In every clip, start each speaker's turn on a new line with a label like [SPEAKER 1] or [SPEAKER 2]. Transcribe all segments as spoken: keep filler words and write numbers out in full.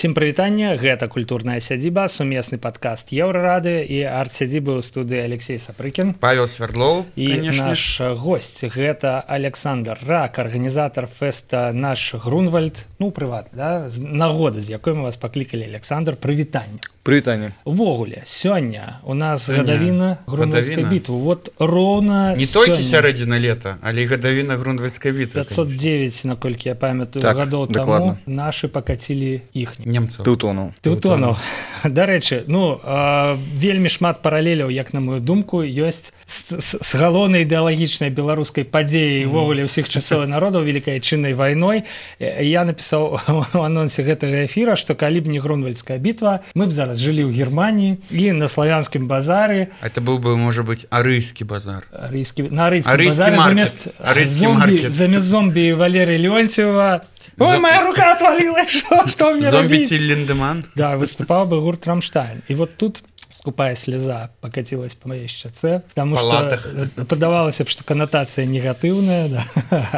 [SPEAKER 1] Всім прывітанне, гэта культурная сядзіба, сумесны падкаст Еўрарадыё і арт-сядзібы ў студыі Алексей Сапрыкін,
[SPEAKER 2] Павел Свердлоў
[SPEAKER 1] і
[SPEAKER 2] конечно.
[SPEAKER 1] Наш госць гэта Александр Рак, арганізатар фэста наш Грунвальд, ну прыват, да? Нагода, з якой мы вас паклікалі. Александр, прывітанне.
[SPEAKER 3] Прывітанне.
[SPEAKER 1] Увогуле, сёння у нас гадавіна Грунвальдскай бітвы. Вот роўна
[SPEAKER 2] не толькі сярэдзіна лета, але і гадавіна Грунвальдскай бітвы.
[SPEAKER 1] пятьсот девять, наколькі я памятаю,
[SPEAKER 3] так,
[SPEAKER 1] гадоў
[SPEAKER 3] дакладна.
[SPEAKER 1] таму нашы пакацілі іхні.
[SPEAKER 2] Немцаў.
[SPEAKER 3] Тэўтонаў.
[SPEAKER 1] Тэўтонаў. Дарэчы, ну, э, вельмі шмат паралеляў, як на мою думку, ёсць з, з, з галоўнай ідэалагічнай беларускай падзеяй увогуле ўсіх часоў народаў вялікай адчыннай вайной. Я напісаў у анонсе гэтага эфіра, што калі б не Грунвальдская бітва, мы б зараз жылі ў Германіі і на славянскім базары.
[SPEAKER 2] Это быў бы, можа быць, арыйскі базар.
[SPEAKER 1] Арыйскі, на арыйскім
[SPEAKER 2] арыйскі
[SPEAKER 1] базары
[SPEAKER 2] маркет.
[SPEAKER 1] замест
[SPEAKER 2] Арыйскі
[SPEAKER 1] зомбі,
[SPEAKER 2] маркет.
[SPEAKER 1] замест зомбі Валерия Леонтьева. Ой, моя рука отвалилась, что, что мне
[SPEAKER 2] Зомби
[SPEAKER 1] робить?
[SPEAKER 2] Тиль Линдеман.
[SPEAKER 1] Да, выступал бы гурт Рамштайн. И вот тут скупая слеза покатилась по моей щаце, потому
[SPEAKER 2] Палатах.
[SPEAKER 1] что подавалось, что коннотация негативная, да.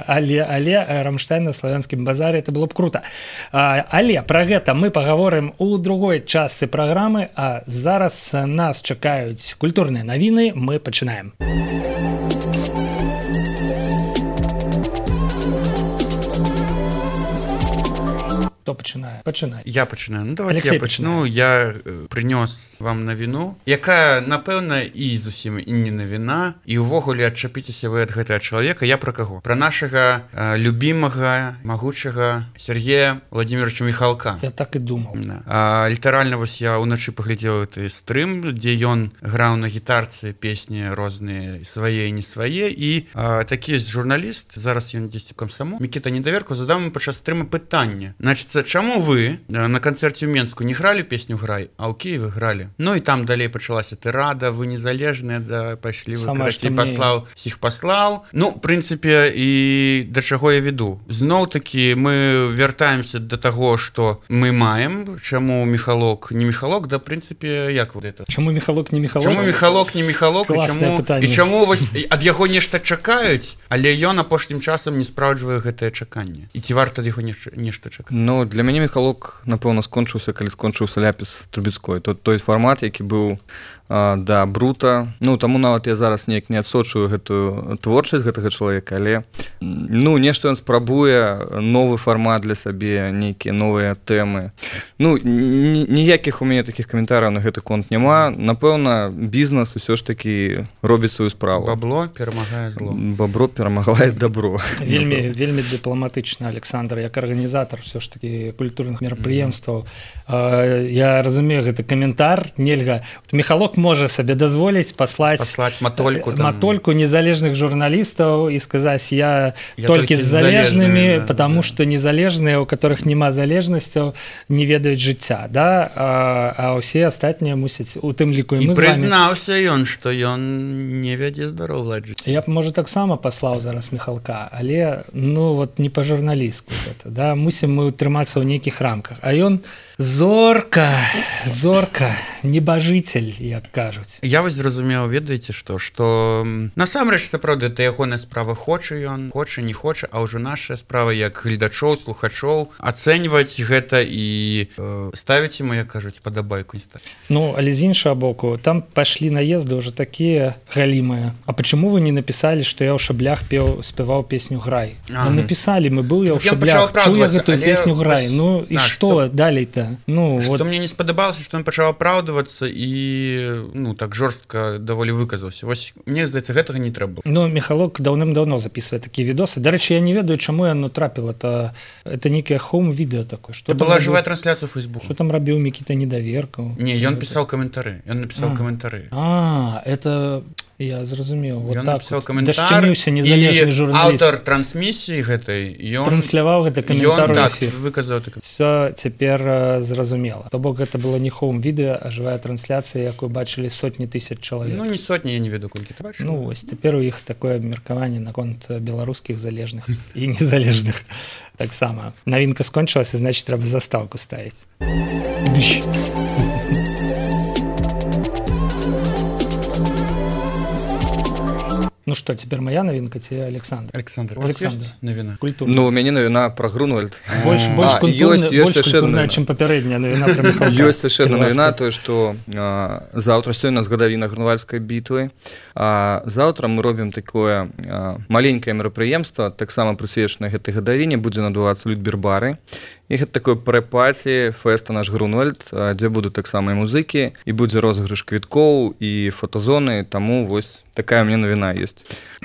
[SPEAKER 1] але, але Рамштайн на славянскім базаре, это было б круто. А, але про гэта мы поговорим у другой частцы программы, а зараз нас чакаюць культурныя навіны, мы пачынаем. Хто пачынае? Пачынай.
[SPEAKER 2] Я пачынаю. Ну, давайте
[SPEAKER 1] Алексей
[SPEAKER 2] я пачну.
[SPEAKER 1] пачынае.
[SPEAKER 2] Я э, прынёс вам навіну, якая, напэўна, і зусім і не навіна, і ўвогуле адчапіцеся вы ад гэтага чалавека. Я пра каго? Пра нашага э, любімага, магучага Сергея Владимировича Михалка.
[SPEAKER 1] Я так і думаў.
[SPEAKER 2] Да. А, літаральна вось я ўначы паглядзеў гэты стрым, дзе ён граў на гітарцы песні розныя, свае і не свае, і а, такі ёсць журналіст, зараз ён дзесьці ў камсамол, Мікіта Недаверко, задаў ему падчас стрыма пытанне. Значит, чаму вы на канцэрце ў Менску не гралі песню «Грай», а ў Кіеве гралі? Ну і там далей пачалася тырада, вы незалежныя, да, пайшлі вы, карацей, паслаў, усіх паслаў. Ну, в прынцыпе, і да чаго я веду. Зноў-такі мы вяртаемся да таго, што мы маем, чаму Михалок не Михалок, да, в прынцыпе, як вот это?
[SPEAKER 1] Чаму Михалок не Михалок?
[SPEAKER 2] Чаму Михалок не Михалок, і чаму, і чаму вось ад яго нешта чакаюць, але ён апошнім часам не спраўджвае гэтае чаканне. І ці варта ад яго нешта, нешта чакаць?
[SPEAKER 3] Ну, для мяне Михалок, напэўна, скончыўся, калі скончыўся ляпіс Трубецкой. Той, той фармат, які быў а, да брута. Ну, таму нават я зараз неяк не адсочую гэтую творчасць гэтага чалавека, але ну, нешта ён спрабуе, новы фармат для сабе, нейкія новыя тэмы. Ну, ніякіх у мяне такіх каментараў на гэты конт няма. Напэўна, бізнес усё ж такі робіць сваю справу.
[SPEAKER 2] Бабло перамагае зло.
[SPEAKER 3] Бабро перамагае добро.
[SPEAKER 1] Вельмі, вельмі дыпламатычна, Александр, як арганізатар все ж таки культурных мерапрыемстваў. Mm-hmm. Я разумею, гэта каментар, нельга. Вот Михалок можа сабе дазволіць паслаць,
[SPEAKER 2] паслаць матольку, там.
[SPEAKER 1] матольку незалежных журналістаў і сказаць, я, я толькі з залежнымі, да, потому да. Что незалежныя, у которых няма залежнасцяў, не ведаюць жыцця, да? А, а ўсе астатнія мусяць, у тым ліку і мы з вами.
[SPEAKER 2] І прызнаўся ён, што ён не вядзе здаровы лад жыцця.
[SPEAKER 1] Я б, можа, таксама паслаў зараз Михалка, але, ну, вот не па-журналістку гэта, да? Мусім мы утрымацца ў нейкіх рамках. А ён зорка, зорка, небажыцель, як кажуць.
[SPEAKER 2] Я вось зразумеў, ведаеце што, што насамрэч, сапраўды, это ягоная справа, хоча ён, хоча, не хоча, а ўжо наша справа, як гледачоў, слухачоў, ацэньваць гэта і э, ставіць ему, як кажуць, падабайку не ставіць.
[SPEAKER 1] Ну, але з іншага боку, там пашлі наезды ўжо такія галімыя. А почему вы не написали, што я ў шаблях пеў, спяваў песню «Грай»?
[SPEAKER 2] Ага.
[SPEAKER 1] Ну, написали, мы быў я ў шаблях, чуў я гэтую песню «Грай». Ну, і
[SPEAKER 2] да,
[SPEAKER 1] што далей-то? Ну,
[SPEAKER 2] што
[SPEAKER 1] вот...
[SPEAKER 2] мне не спадабалася, што ён пачаў апраўдвацца і, ну, так жорстка даволі выказаўся. Вось, мне здаецца, гэтага не трэба.
[SPEAKER 1] Ну, Михалок даўным-даўно записывае такія відосы. Дарэчы, я не ведаю, чаму яно трапіла. Это, это нейкае хоум-відэо такое.
[SPEAKER 2] Это была жывая трансляцыя ў Фейсбуку.
[SPEAKER 1] Што там рабіў Мікіта Недаверкаў?
[SPEAKER 2] Не, ён пісаў каментары. Ён напісаў
[SPEAKER 1] а.
[SPEAKER 2] каментары.
[SPEAKER 1] А, это... Я зразумеў. Вот
[SPEAKER 2] ён
[SPEAKER 1] так
[SPEAKER 2] напісаў
[SPEAKER 1] вот.
[SPEAKER 2] каментар,
[SPEAKER 1] Дашчыміўся незалежны журналіст.
[SPEAKER 2] Аўтар трансмісіі гэтай, ён...
[SPEAKER 1] Трансляваў гэта каментар у эфір.
[SPEAKER 2] Так, выказаў так.
[SPEAKER 1] Все цяпер uh, зразумела. То бок гэта было не хоум-відэо, а жывая трансляцыя, якую бачылі сотні тысяч чалавек.
[SPEAKER 2] Ну, не сотні, я не веду, колькі ты бачыў.
[SPEAKER 1] Ну, вось, цяпер у іх такое абмеркаванне наконт беларускіх залежных і незалежных. Таксама. Навінка скончылася, значит, трэба застаўку ставіць. Ну Ну что, теперь моя новинка, тебе Александр.
[SPEAKER 2] Александр,
[SPEAKER 1] Александр.
[SPEAKER 2] навіна.
[SPEAKER 1] Культурная.
[SPEAKER 3] Ну, у мяне навіна пра Грунвальд.
[SPEAKER 1] Больш, больш
[SPEAKER 3] А,
[SPEAKER 1] культурная,
[SPEAKER 3] ёсць- ёсць
[SPEAKER 1] больш
[SPEAKER 3] яшчэ
[SPEAKER 1] культурная,
[SPEAKER 3] одна.
[SPEAKER 1] чым папярэдняя навіна пра Міхалка.
[SPEAKER 3] Ёсць яшчэ одна
[SPEAKER 1] Піласка.
[SPEAKER 3] навіна, тое, што а, заўтра сёння з гадавіна Грунвальдскай бітвы. А заўтра мы робім такое а, маленькае мерапрыемства, таксама прысвечанае гэтай гадавіне, будзе надувацца Людбербары. І гэта такое прэ-паці фэста наш Грунвальд, а, дзе будуць таксама і музыкі, і будзе розыгрыш квіткоў і фотазоны, таму вось такая мне навіна ёсць.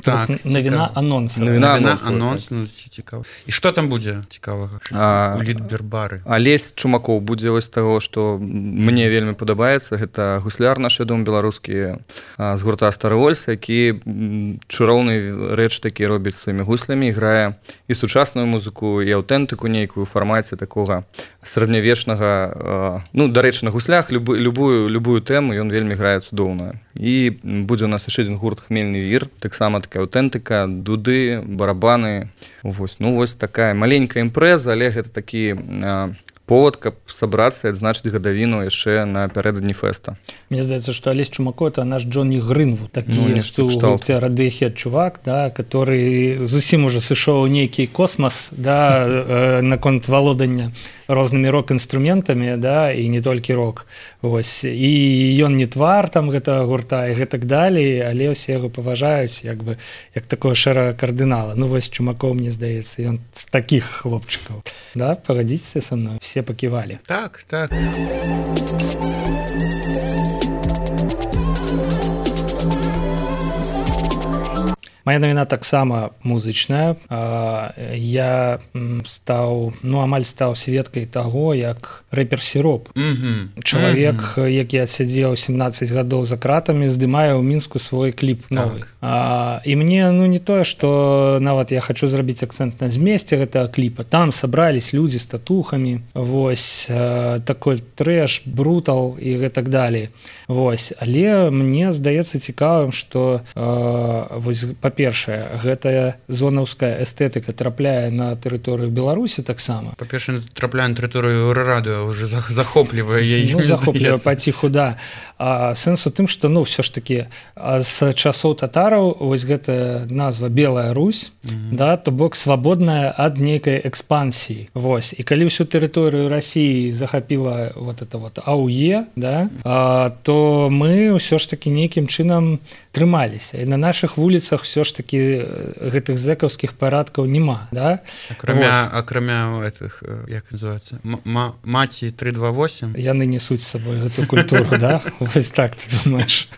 [SPEAKER 2] Так,
[SPEAKER 1] Навіна анонс.
[SPEAKER 3] Навіна
[SPEAKER 2] Навіна,
[SPEAKER 3] анонсу,
[SPEAKER 2] анонс, ну, цікава. І што там будзе цікавага?
[SPEAKER 3] А,
[SPEAKER 2] У Людбербары.
[SPEAKER 3] Алесь Чумакоў будзе вось таго, што мне вельмі падабаецца. Гэта гусляр наш, вядомы беларускі а, з гурта Стары Вольс, які м, чароўны рэч такі робіць сваімі гуслямі, грае і сучасную музыку, і аўтэнтыку нейкую ў фармаце такога сярэднявечнага, а, ну, дарэчы, на гуслях любу, любую, любую тэму ён вельмі грае цудоўна. І будзе у нас яшчэ адзін гурт Хмельны вір, таксама такая аўтэнтыка, дуды, барабаны. Вось, ну, вось такая маленькая імпрэза, але гэта такі а, повод, каб сабрацца і адзначыць гадавіну яшчэ напярэдадні фэста.
[SPEAKER 1] Мне здаецца, што Алесь Чумако это наш Джонні Грынвуд, такі
[SPEAKER 3] Ну,
[SPEAKER 1] ёсць
[SPEAKER 3] нешта
[SPEAKER 1] у
[SPEAKER 3] кшталту.
[SPEAKER 1] гурце Radiohead чувак, да, который зусім уже сышоў у нейкі космас, да, э, наконт валодання рознымі рок-інструментамі, да, і не толькі рок. Вось. І ён не твар там гэтага гурта і гэтак далей, але ўсе яго паважаюць як бы як такого шэрага кардынала. Ну вось Чумакоў, мне здаецца, ён з такіх хлопчыкаў. Да, пагадзіцеся са мной, все паківалі.
[SPEAKER 2] Так, так.
[SPEAKER 1] Моя навіна таксама музычная. А, я м, стаў, ну амаль стаў сведкай таго, як рэпер Сіроп,
[SPEAKER 2] Мгм.
[SPEAKER 1] чалавек, які адсядзеў сямнаццаць гадоў за кратамі, здымае ў Мінску свой кліп новы.
[SPEAKER 2] Так.
[SPEAKER 1] А, і мне ну не тое, што нават я хачу зрабіць акцэнт на змесце гэтага кліпа. Там сабрались людзі з татухамі, вось а, такой трэш, брутал і гэтак далей. Вось, але мне здаецца цікавым, што а, вось па-першае, гэтая зонаўская эстэтыка трапляе на тэрыторыю Беларусі таксама.
[SPEAKER 2] Па-першае, трапляе на тэрыторыю Радыё, уже за- захоплівае яе.
[SPEAKER 1] Ну, захоплівае паціху, да. А сэнс у тым, што ну ўсё ж такі а, з часоў татараў вось гэтая назва Белая Русь,
[SPEAKER 2] Мгм.
[SPEAKER 1] да, то бок свабодная ад нейкай экспансіі. Вось. І калі ўсю тэрыторыю Расіі захапіла вот это вот АУЕ, да, а, то мы ўсё ж такі нейкім чынам трымаліся. І на нашых вуліцах ўсё ж такі э, гэтых зэкаўскіх парадкаў няма, да.
[SPEAKER 2] Акрамя,
[SPEAKER 1] Вось.
[SPEAKER 2] акрамя этих, э, як называется, М- ма- маці три два восемь.
[SPEAKER 1] Яны несуць з сабой гэту культуру, да? Вось так ты думаеш.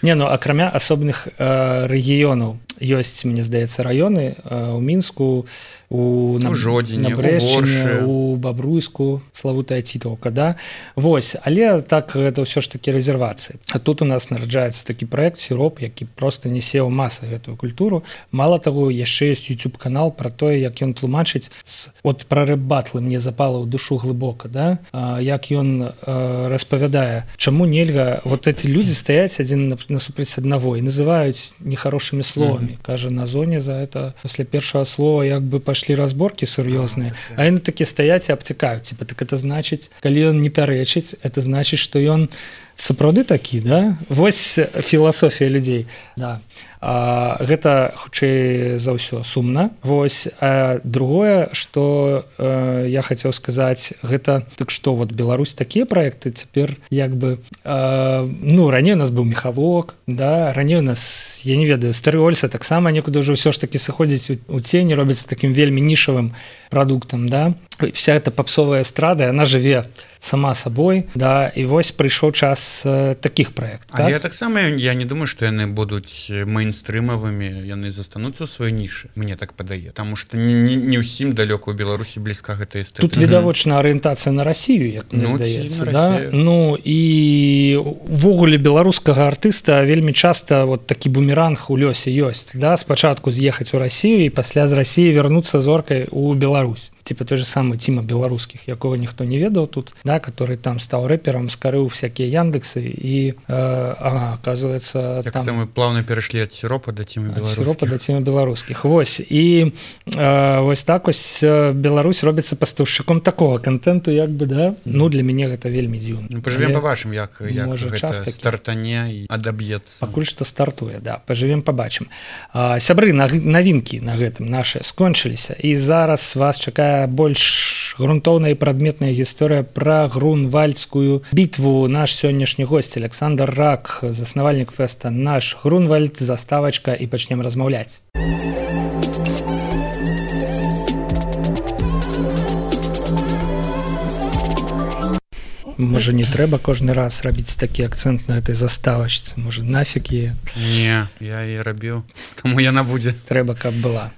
[SPEAKER 1] Не, ну акрамя асобных э, рэгіёнаў ёсць, мне здаецца, раёны э, у Мінску, у
[SPEAKER 2] У Жодзіне,
[SPEAKER 1] на
[SPEAKER 2] у
[SPEAKER 1] Брэшчыне,
[SPEAKER 2] Воршы.
[SPEAKER 1] у Бабруйску, славутая Цітаўка, да? Вось, але так гэта ўсё ж такі рэзервацыі. А тут у нас нараджаецца такі праект Сіроп, які проста несе ў масы гэтую культуру. Мала таго, яшчэ ёсць YouTube-канал пра тое, як ён тлумачыць з... от пра рэп-батлы мне запала ў душу глыбока, да? А, як ён э, распавядае, чаму нельга вот эти людзі стаяць адзін насупраць аднаго і называюць нехарошымі словамі. Mm-hmm. Кажа, на зоне за это пасля першага слова як бы пашлі разборкі сур'ёзныя, а яны такі стаяць і абцікаюць. Типа, так это значыць, калі ён не пярэчыць, это значыць, што ён сапраўды такі, да? Вось філасофія людзей, да. А, гэта хутчэй за ўсё сумна. Вось, а другое, што э, я хацеў сказаць, гэта так што вот Беларусь такія праекты цяпер як бы э, ну раней у нас быў Міхалок, да, раней у нас, я не ведаю, Стары Вольса таксама некуды ўжо ўсё ж такі сыходзіць у, у цені, робіцца такім вельмі нішавым прадуктам, да. Вся эта попсовая эстрада, она жыве сама сабой, да, і вось прыйшоў час э, такіх праектаў.
[SPEAKER 2] Але
[SPEAKER 1] Так?
[SPEAKER 2] таксама я не думаю, што яны будуць мейнстрымавымі, яны застануцца ў сваёй нішы, мне так падае, таму што не, не, не ўсім далёка ў Беларусі блізка гэта эстэтыка.
[SPEAKER 1] Тут відавочна арыентацыя на Расію, як мне
[SPEAKER 2] Ну, ці
[SPEAKER 1] здаецца,
[SPEAKER 2] на
[SPEAKER 1] да?
[SPEAKER 2] Расію.
[SPEAKER 1] Ну і увогуле беларускага артыста вельмі часта вот такі бумеранг у лёсе ёсць, да, спачатку з'ехаць у Расію і пасля з Расіі вярнуцца зоркай у Беларусь. типа той же самый Тима Белорусских, якого ніхто не ведаў тут, да, который там стал рэпером, скарыў всякие Яндексы и, э, ага, оказывается,
[SPEAKER 2] як
[SPEAKER 1] там...
[SPEAKER 2] мы плавно перешли от сиропа до Тимы Белорусских.
[SPEAKER 1] От сиропа до Тимы Белорусских. Вось. И э, вось так ось Беларусь робіцца пастаўшчыком такого контенту, як бы, да? Ну, для мяне гэта вельмі дзіўна.
[SPEAKER 2] Ну, поживем, побачым, як, як
[SPEAKER 1] Можа,
[SPEAKER 2] гэта стартане і адаб'ецца.
[SPEAKER 1] Пакуль што стартуе, да. Поживем, побачым. А, сябры, навінкі на гэтым нашы скончыліся. І зараз вас чакае больш грунтоўная і прадметная гісторыя пра грунвальдскую бітву. Наш сённяшні госць Александр Рак, заснавальнік фэста «Наш Грунвальд», заставачка, і пачнем размаўляць. Можа, не трэба кожны раз рабіць такі акцэнт на гэтай заставачцы? Можа, нафіг яе?
[SPEAKER 2] Не, я яе рабіў, таму яна будзе.
[SPEAKER 1] Трэба, каб была.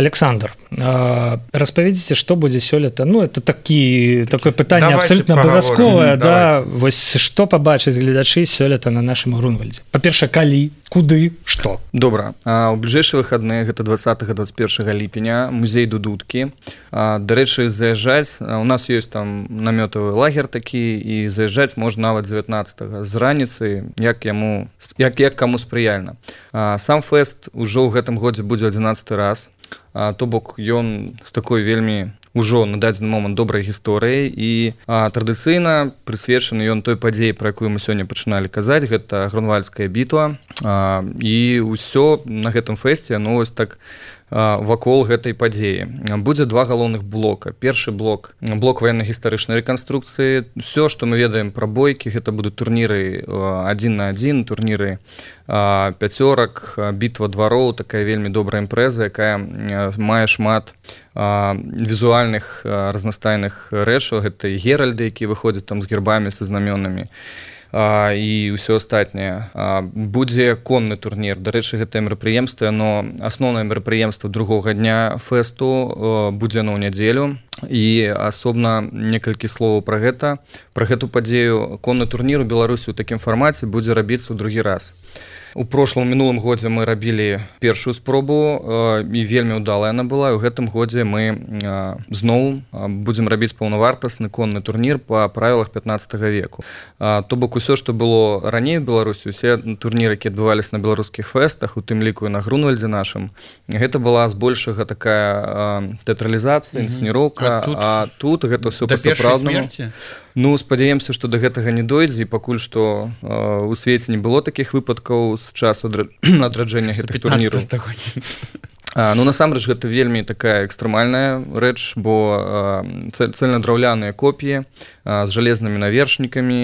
[SPEAKER 1] Александр, распавядзіце, што будзе сёлета? Ну, это такі, такое пытанне абсолютно абавязковае, да? Вось што пабачаць гледачы сёлета на нашым Грунвальдзе? Па-першае, калі, куды, што?
[SPEAKER 3] Добра. У бліжэйшыя выхадныя, гэта двадцатага - двадцать первого ліпеня, музей Дудуткі. Дарэчы, заязджаць, у нас ёсць там намётавы лагер такі, і заязджаць можна нават дзевятнаццатага з раніцы, як яму, як, як каму спрыяльна. Сам фэст ужо ў гэтым годзе будзе адзінаццаты раз. А, то бок ён з такой вельмі ўжо на дадзены момант добрай гісторыяй і а, традыцыйна прысвечаны ён той падзеі, пра якую мы сёння пачыналі казаць, гэта Грунвальдская бітва, а, і ўсё на гэтым фэсце, ну вось так вакол гэтай падзеі. Будзе два галоўных блока. Першы блок, блок ваенна-гістарычнай рэканструкцыі. Усё, што мы ведаем пра бойкі, гэта будуць турніры адзін на адзін, турніры пяцёрак, бітва двароў, такая вельмі добрая імпрэза, якая мае шмат візуальных разнастайных рэчаў. Гэта і геральды, якія выходзяць там з гербамі, са знамёнамі. А, і ўсё астатняе. А, будзе конны турнір. Дарэчы, гэтае мерапрыемства, но асноўнае мерапрыемства другога дня фэсту будзе на ў нядзелю. І асобна некалькі словаў пра гэта. Пра гэту падзею. Конны турнір у Беларусі ў такім фармаце будзе рабіцца ў другі раз. У прошлым мінулым годзе мы рабілі першую спробу э, і вельмі ўдалая яна была. І ў гэтым годзе мы э, зноў э, будзем рабіць паўнавартасны конны турнір па правілах пятнаццатага веку. Э, то бок усё, што было раней у Беларусі, усе турніры, якія адбываліся на беларускіх фэстах, у тым ліку і на Грунвальдзе нашым, гэта была збольшага такая э, тэатралізацыя, інсцэніроўка, а тут, а тут гэта ўсё па-сапраўднаму. Ну, спадзяемся, што да гэтага не дойдзе, і пакуль што э, у свеце не было такіх выпадкаў з часу адраджэння гэтых турніраў. А, ну, насамрэч, гэта вельмі такая экстрэмальная рэч, бо э, цэльнадраўляныя копіі э, з жалезнымі навершнікамі,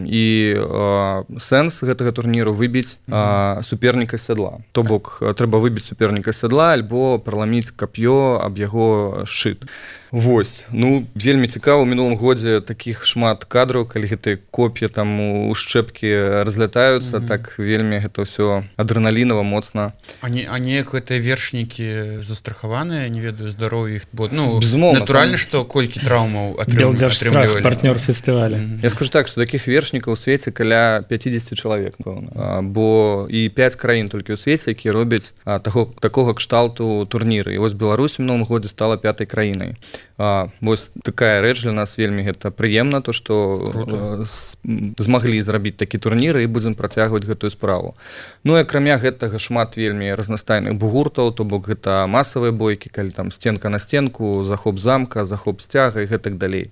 [SPEAKER 3] і э, сэнс гэтага турніру выбіць э, суперніка з сядла. То бок, трэба выбіць суперніка з сядла альбо праламіць кап'ё аб яго шчыт. Вось, ну, вельмі цікава, у мінулым годзе такіх шмат кадраў, калі гэтыя коп'і там у шчэпкі разлятаюцца, mm-hmm. так вельмі гэта ўсё адрэналінава, моцна.
[SPEAKER 2] А, не, а неяк гэтыя вершнікі застрахаваныя, не ведаю, здароўя іх, бо, ну, безумоўна, натуральна, што там... колькі траўмаў атрым...
[SPEAKER 1] атрымлівалі. Партнёр фестываля.
[SPEAKER 3] Mm-hmm. Я скажу так, што такіх вершнікаў у свеце каля пятьдесят чалавек, пэўна, бо і пяць краін толькі ў свеце, якія робяць а, таго, такога кшталту турніры. І вось Беларусь у мінулым годзе стала пятай краінай. А, вось такая рэч для нас вельмі гэта прыемна, то што змаглі зрабіць такі турнір і будзем працягваць гэтую справу. Ну і акрамя гэтага шмат вельмі разнастайных бугуртаў, то бок гэта масавыя бойкі, калі там стенка на стенку, захоп замка, захоп сцяга і гэтак далей.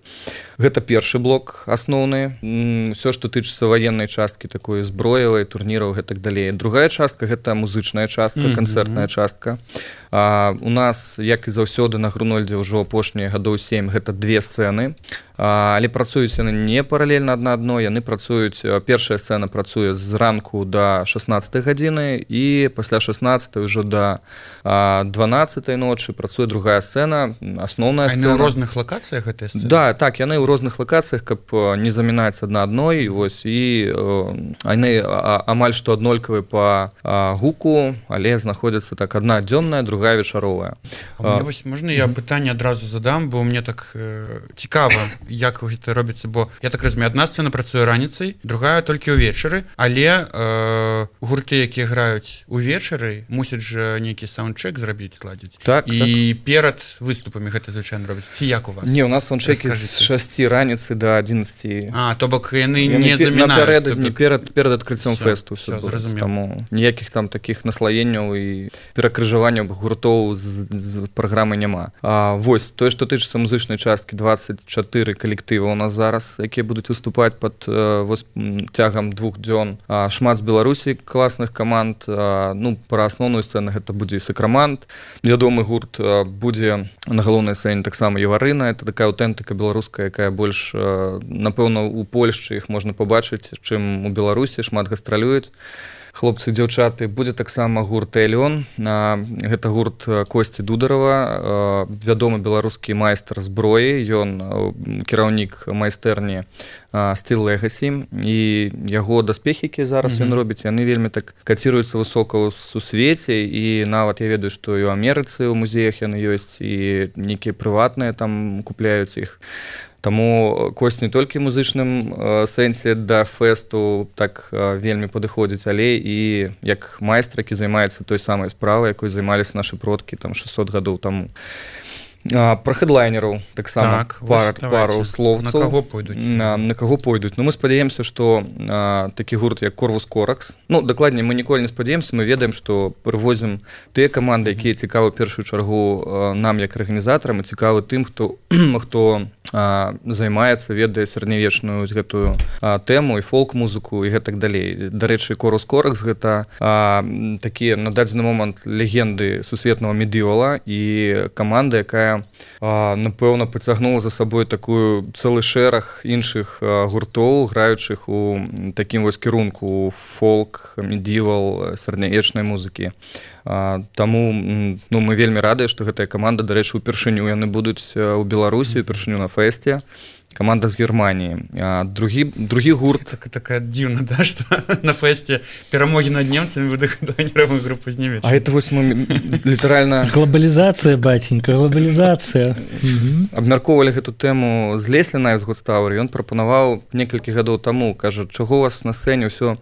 [SPEAKER 3] Гэта першы блок асноўны. Усё, што тычыцца ваеннай часткі, такой зброевай, турніраў гэтак далей. Другая частка гэта музычная частка, канцэртная частка. А, у нас, як і заўсёды на Грунвальдзе ўжо апошнія гадоў сем, гэта две сцэны, а, але працуюць яны не паралельна адна адной, яны працуюць, першая сцэна працуе з ранку да шаснаццатай гадзіны і пасля шаснаццатай ўжо да а, дванаццатай ночы працуе другая сцэна, асноўная сцэна.
[SPEAKER 2] А яны ў розных лакацыях гэтыя сцэны?
[SPEAKER 3] Да, так, яны ў розных лакацыях, каб не замінаць адна адной, вось, і яны амаль што аднолькавыя па а, гуку, але знаходзяцца так адна дзённая, другая вечаровая.
[SPEAKER 2] А, а, вось, можна я пытанне адразу задам, бо мне так э, цікава, як гэта робіцца, бо я так разумею, адна сцэна працуе раніцай, другая толькі ўвечары, але э, гурты, якія граюць увечары, мусяць жа нейкі саундчэк зрабіць, ладзіць.
[SPEAKER 3] Так,
[SPEAKER 2] і
[SPEAKER 3] так.
[SPEAKER 2] перад выступамі гэта звычайна робіць. Ці як у вас?
[SPEAKER 3] Не, у нас саундчэкі з шасці раніцы да адзінаццаці.
[SPEAKER 2] А, то бок яны не замінаюць.
[SPEAKER 3] Напярэдадні, перад, перад адкрыццём фэсту. Все, все зразумеў. Таму ніякіх там такіх наслаенняў і перакрыжаванняў гуртоў з, з праграмы няма. А, вось, тое, што тычыцца музычнай часткі, дваццаць чатыры калектыва у нас зараз, якія будуць выступаць пад вось, цягам двух дзён. А, шмат з Беларусі класных каманд. А, ну, пра асноўную сцэну гэта будзе і Сакрамант. Вядомы гурт а, будзе на галоўнай сцэне таксама Еварына. Это такая аўтэнтыка беларуская, якая больш, а, напэўна, у Польшчы іх можна пабачыць, чым у Беларусі, шмат гастралююць. Хлопцы, дзяўчаты, будзе таксама гурт «Элеон». Гэта гурт Косці Дударова, вядомы беларускі майстар зброі. Ён кіраўнік майстэрні Steel Legacy. І яго даспехі, якія зараз mm-hmm. ён робіць, яны вельмі так каціруюцца высока ў сусвеце. І нават я ведаю, што і ў Амерыцы ў музеях яны ёсць, і нейкія прыватныя там купляюць іх. Таму Косць не толькі музычным э, сэнсе да фэсту так э, вельмі падыходзіць, але і як майстар, які займаецца той самай справай, якой займаліся нашы продкі там шэсцьсот гадоў таму. А, пра хэдлайнераў таксама
[SPEAKER 2] так,
[SPEAKER 3] пар, пару слоўцаў.
[SPEAKER 2] На каго пойдуць?
[SPEAKER 3] На, на каго пойдуць. Ну, мы спадзяемся, што а, такі гурт, як Корвус Коракс, ну, дакладней, мы ніколі не спадзяемся, мы ведаем, што прывозім тыя каманды, якія цікавы ў першую чаргу а, нам, як арганізатарам, і цікавы тым, хто, хто а, займаецца, ведае сярэднявечную гэтую а, тэму і фолк-музыку і гэтак далей. Дарэчы, Корвус Коракс гэта а, такія на дадзены момант легенды сусветнага медіёла і каманда, якая А, напэўна, пацягнула за сабой такую цэлы шэраг іншых а, гуртоў, граючых у такім вось кірунку фолк, медівал, сярэднявечнай музыкі. А, таму ну, мы вельмі радыя, што гэтая каманда, дарэчы, упершыню яны будуць у Беларусі, упершыню на фэсце. Каманда з Германіі. А, другі, другі гурт...
[SPEAKER 2] Так, такая дзіўна, да, што на фэсце перамогі над немцамі вы хэдлайнеравую групу знімеце.
[SPEAKER 3] А это вось мы літаральна...
[SPEAKER 1] Глобалізацыя, баценька, глобалізацыя.
[SPEAKER 3] Абмяркоўвалі гэту тэму з Лесліна з Гудстаўры. Ён прапанаваў некалькі гадоў таму, кажа, чаго у вас на сцэне ўсё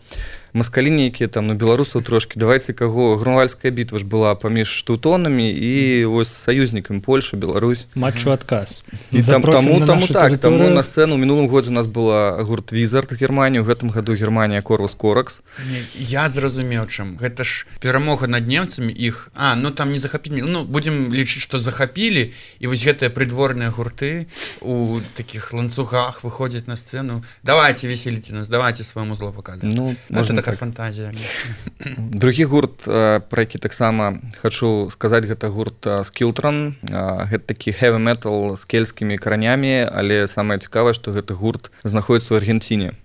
[SPEAKER 3] маскалі нейкія там, ну, беларусаў трошкі, давайце каго, Грунвальдская бітва ж была паміж тэўтонамі і ось саюзнікамі Польша, Беларусь.
[SPEAKER 1] Матчу адказ.
[SPEAKER 3] І там, таму, таму так, таму на сцэну ў мінулым годзе у нас была гурт Візард з Германіі, у гэтым году Германія Корвус Коракс.
[SPEAKER 2] Не, я зразумеў, чым. Гэта ж перамога над немцамі іх, а, ну там не захапілі, ну будзем лічыць, што захапілі, і вось гэтыя прыдворныя гурты у такіх ланцугах выходзяць на сцэну. Давайте весельце нас, давайте свайму зло паказваць.
[SPEAKER 3] Ну, можна
[SPEAKER 2] такая фантазія.
[SPEAKER 3] Другі гурт, пра які таксама хачу сказаць, гэта гурт Skiltron. Гэта такі heavy metal з кельцкімі каранямі, але самае цікавае, што гэты гурт знаходіцца ў Аргенціне.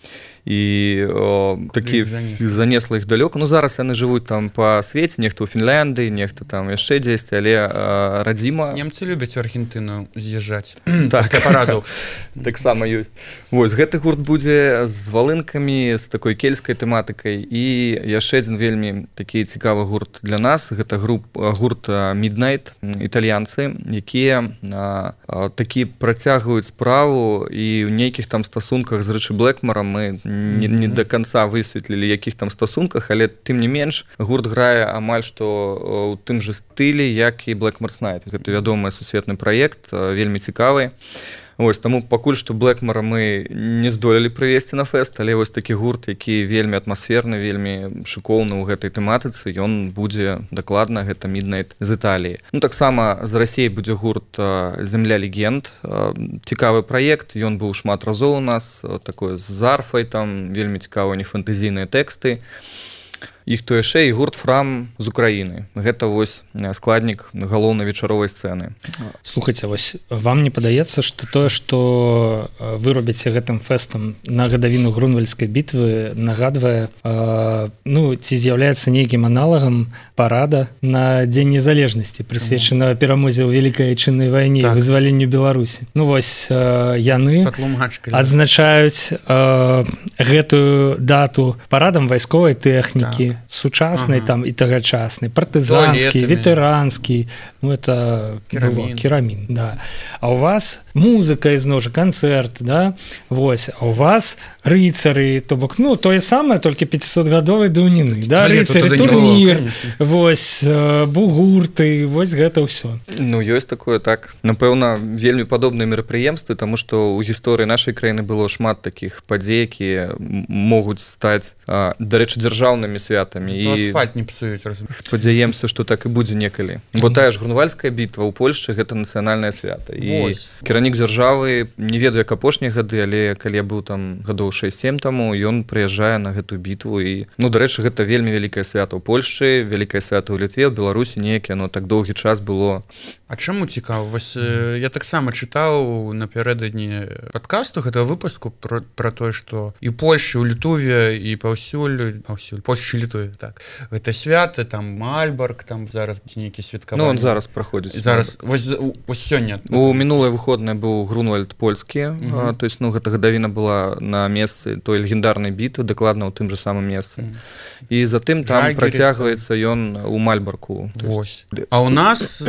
[SPEAKER 3] І о, такі занесла іх далёка. Ну, зараз яны жывуць там па свеце, нехта ў Фінляндыі, нехта там яшчэ дзесьці, але а, радзіма...
[SPEAKER 2] Немцы любяць у Аргентыну з'язджаць.
[SPEAKER 3] Так, паразаў. Таксама ёсць. Вось, гэты гурт будзе з валынкамі, з такой кельцкай тэматыкай. І яшчэ адзін вельмі такі цікавы гурт для нас. Гэта груп, гурт Midnight, італьянцы, якія а, а, такі працягваюць справу, і ў нейкіх там стасунках з Рычы Блэкмарам мы Не, не до конца высветлілі, якіх там стасунках, але тым не менш гурт грае амаль што ў тым жа стылі, як і Blackmore's Night. Гэта вядомы сусветны праект, вельмі цікавы. Вось, таму пакуль што Блэкмара мы не здолелі прывесці на фэст, але вось такі гурт, які вельмі атмасферны, вельмі шыкоўны ў гэтай тэматыцы, ён будзе дакладна, гэта Midnight з Італіі. Ну, таксама з Расіі будзе гурт «Земля легенд». Цікавы праект, ён быў шмат разоў у нас, такой з арфай, там вельмі цікавыя у них фэнтэзійныя тэксты. Іх то яшчэ і гурт «Фрам» з Украіны. Гэта вось складнік галоўнай вечаровай сцэны.
[SPEAKER 1] Слухайце, вось вам не падаецца, што тое, што вы робіце гэтым фэстам на гадавіну Грунвальдскай бітвы, нагадвае, э, ну, ці з'яўляецца нейкім аналагам парада на Дзень незалежнасці, прысвечанага перамозе ў Вялікай Айчыннай вайне, так, і вызваленню Беларусі. Ну, вось э, яны адзначаюць э, гэтую дату парадам вайсковай тэхнікі, так, сучаснай, ага, там і тагачаснай, партызанскі, ветэранскі, ну это
[SPEAKER 2] керамін.
[SPEAKER 1] Было, керамін, да. А у вас музыка ізноў жа канцэрт, да, вось, а у вас рыцары, то бок, ну, тое самае, толькі пяцісотгадовай даўніны, да, рыцары, турнір, вось, бугурты, вось гэта ўсё.
[SPEAKER 3] Ну, ёсць такое, так. Напэўна, вельмі падобныя мерапрыемствы, таму што ў гісторыі нашай краіны было шмат такіх падзей, якія могуць стаць, дарэчы, дзяржаўнымі святамі.
[SPEAKER 2] І асфальт не псуюць, разумееш.
[SPEAKER 3] Спадзяемся, што так і будзе некалі. Бо тая ж Грунвальдская бітва ў Польшчы — гэта нацыянальнае свята. І кіраўнік дзяржавы, не ведаю, як апошнія гады, але калі я быў там гадоў шэсць-сем таму, ён прыязджае на гэтую бітву. І, ну, дарэчы, гэта вельмі вялікае свята ў Польшчы, вялікае свята ў Літве, ў Беларусі неяк яно так доўгі час было.
[SPEAKER 2] А чаму цікава? Вось mm. я таксама чытаў напярэдадні падкасту гэтага выпуску про, про тое, што і Польшчы, у Літве, і паўсюль, паўсюль, Польшчы, Літве, так. Гэта свята, там Мальбарг, там зараз нейкі святкаванні.
[SPEAKER 3] Ну, он зараз праходзіць.
[SPEAKER 2] Зараз, вось, вось сёння.
[SPEAKER 3] У мінулыя выходныя быў Грунвальд польскі, mm-hmm. а, то есть, ну, гэта гадавіна была на месцы той легендарнай бітвы, дакладна ў тым жа самым месцы. Mm-hmm. І затым там Жальгерис, працягваецца ён у Мальбарку.
[SPEAKER 2] Вось. А у нас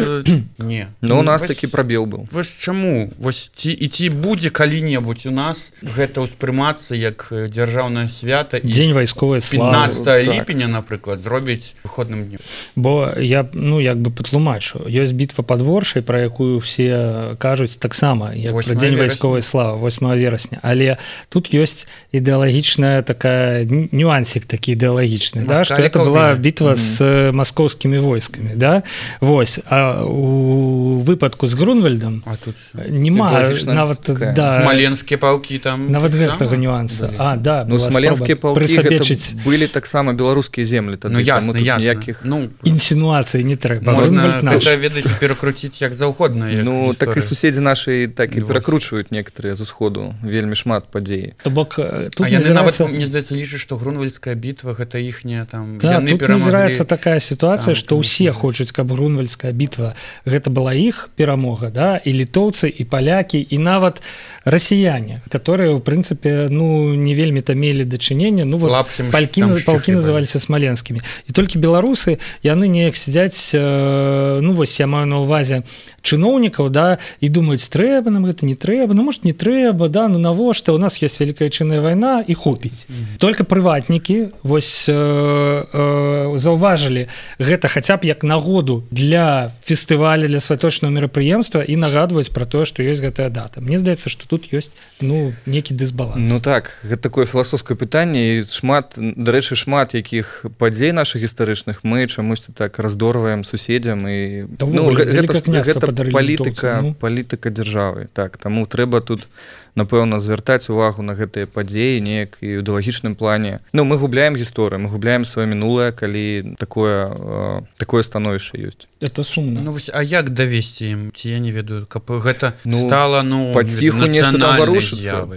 [SPEAKER 2] не.
[SPEAKER 3] Ну, у нас вось, такі прабел быў.
[SPEAKER 2] Вось чаму? Вось ці, і ці будзе калі-небудзь у нас гэта ўспрымацца як дзяржаўнае свята і
[SPEAKER 1] дзень вайсковай славы.
[SPEAKER 2] пятнадцатого ліпеня, напрыклад, зробіць выходным днём.
[SPEAKER 1] Бо я, ну, як бы патлумачу. Ёсць бітва пад Воршай, пра якую все кажуць таксама, як пра дзень вайсковай славы, восьмага верасня. Але тут ёсць ідэалагічная такая нюансік такі ідэалагічны, да, што гэта была бітва mm-hmm. з маскоўскімі войскамі, да? Вось. А у выпадку з Грунвальдам
[SPEAKER 2] а тут
[SPEAKER 1] нема нават да,
[SPEAKER 2] смаленскія палкі там
[SPEAKER 1] нават гэтага нюанса. А, да,
[SPEAKER 3] ну, смаленскія палкі гэта былі таксама беларускія землі тады.
[SPEAKER 2] Ну, ясна, ясна.
[SPEAKER 3] Ніякіх...
[SPEAKER 2] Ну,
[SPEAKER 1] інсінуацыі не трэба.
[SPEAKER 2] Можна гэта, ведаць, перакруціць як заўгодна. Як
[SPEAKER 3] ну,
[SPEAKER 2] гісторыя.
[SPEAKER 3] Так і суседзі нашы так і перакручваюць некаторыя з усходу. Вельмі шмат падзей.
[SPEAKER 1] То бок, тут
[SPEAKER 2] а яны
[SPEAKER 1] назіраецца...
[SPEAKER 2] нават, мне здаецца, лічаць, што Грунвальдская бітва гэта іхняя там...
[SPEAKER 1] Да,
[SPEAKER 2] яны
[SPEAKER 1] тут
[SPEAKER 2] перамаглі...
[SPEAKER 1] назіраецца такая сітуацыя,
[SPEAKER 2] там,
[SPEAKER 1] што ўсе хочуць, каб Грунвальдская бітва гэта была іх перамога, да? І літоўцы, і палякі, і нават расіяне, которые, в прынцыпе, ну, не вельмі-то мелі дачынення, ну, вот палькі, палкі называліся смаленскімі. І толькі беларусы, яны неяк сядзяць, э, ну, вось я маю на ўвазе чыноўнікаў, да, і думаюць, трэба нам гэта, не трэба, ну, может, не трэба, да, ну, навошта, у нас ёсць вялікая чынная вайна, і хопіць. Mm-hmm. Только прыватнікі, вось, э, э, заўважылі гэта хаця б як нагоду для фестываля, для святочнага мерапрыемства і нагадваюць пра тое, што ёсць гэтая дата. Мне здаецца, што тут ёсць, ну, некі дысбаланс.
[SPEAKER 3] Ну так, гэта такое філасофскае пытанне, і шмат, дарэчы, шмат якіх падзей нашых гістарычных мы чамусьці так раздорваем суседзям і
[SPEAKER 1] да,
[SPEAKER 3] ну, гэта, гэта
[SPEAKER 1] літоўцы,
[SPEAKER 3] палітыка,
[SPEAKER 1] ну.
[SPEAKER 3] палітыка дзяржавы. Так, таму трэба тут напэўна звяртаць увагу на гэтыя падзеі неяк і ў ідэалагічным плане. Ну, мы губляем гісторыю, мы губляем сваё мінулае, калі такое э, такое становішча ёсць.
[SPEAKER 1] Это сумна.
[SPEAKER 2] Ну, вось, а як давесці ім? Ці я не ведаю, каб гэта ну, стала, ну,
[SPEAKER 3] паціху нешта там варушыцца.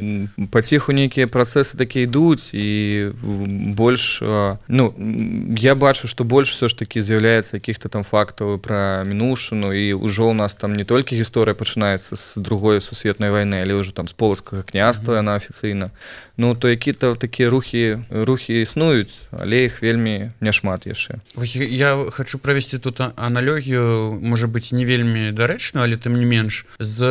[SPEAKER 3] Паціху нейкія працэсы такія ідуць і больш, э, ну, я бачу, што больш все ж такі з'яўляецца якіх-то там фактаў пра мінушыну, і ўжо ў нас там не толькі гісторыя пачынаецца з другой сусветнай вайны, але ўжо там з полацкага княства яна афіцыйна. Ну, то які-то такія рухі, рухі існуюць, але іх вельмі няшмат яшчэ.
[SPEAKER 2] Я хочу правесці тут аналогію, можа быць, не вельмі дарэчную, але тым не менш, з